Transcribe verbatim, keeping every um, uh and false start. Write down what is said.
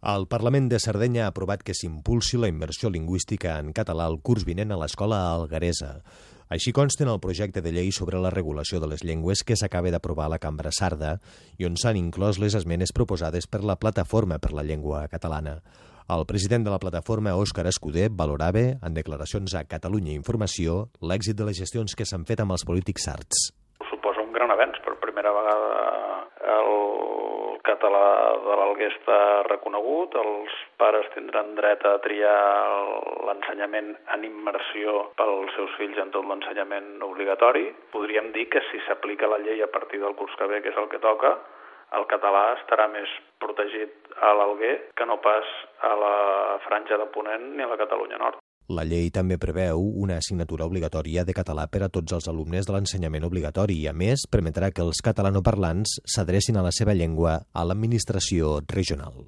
El Parlament de Sardenya ha aprovat que s'impulsi la immersió lingüística en català el curs vinent a l'escola algueresa. Així consta en el projecte de llei sobre la regulació de les llengües que s'acaba d'aprovar a la Cambra Sarda i on s'han inclòs les esmenes proposades per la Plataforma per la Llengua Catalana. El president de la plataforma, Òscar Escudé, valorava, en declaracions a Catalunya Informació, l'èxit de les gestions que s'han fet amb els polítics sards. Suposa un gran avenç. Per primera vegada el català de l'Alguer està reconegut, els pares tindran dret a triar l'ensenyament en immersió pels seus fills en tot l'ensenyament obligatori. Podríem dir que si s'aplica la llei a partir del curs que ve, que és el que toca, el català estarà més protegit a l'Alguer que no pas a la Franja de Ponent ni a la Catalunya Nord. La llei també preveu una assignatura obligatòria de català per a tots els alumnes de l'ensenyament obligatori i, a més, permetrà que els catalanoparlants s'adrecin a la seva llengua a l'administració regional.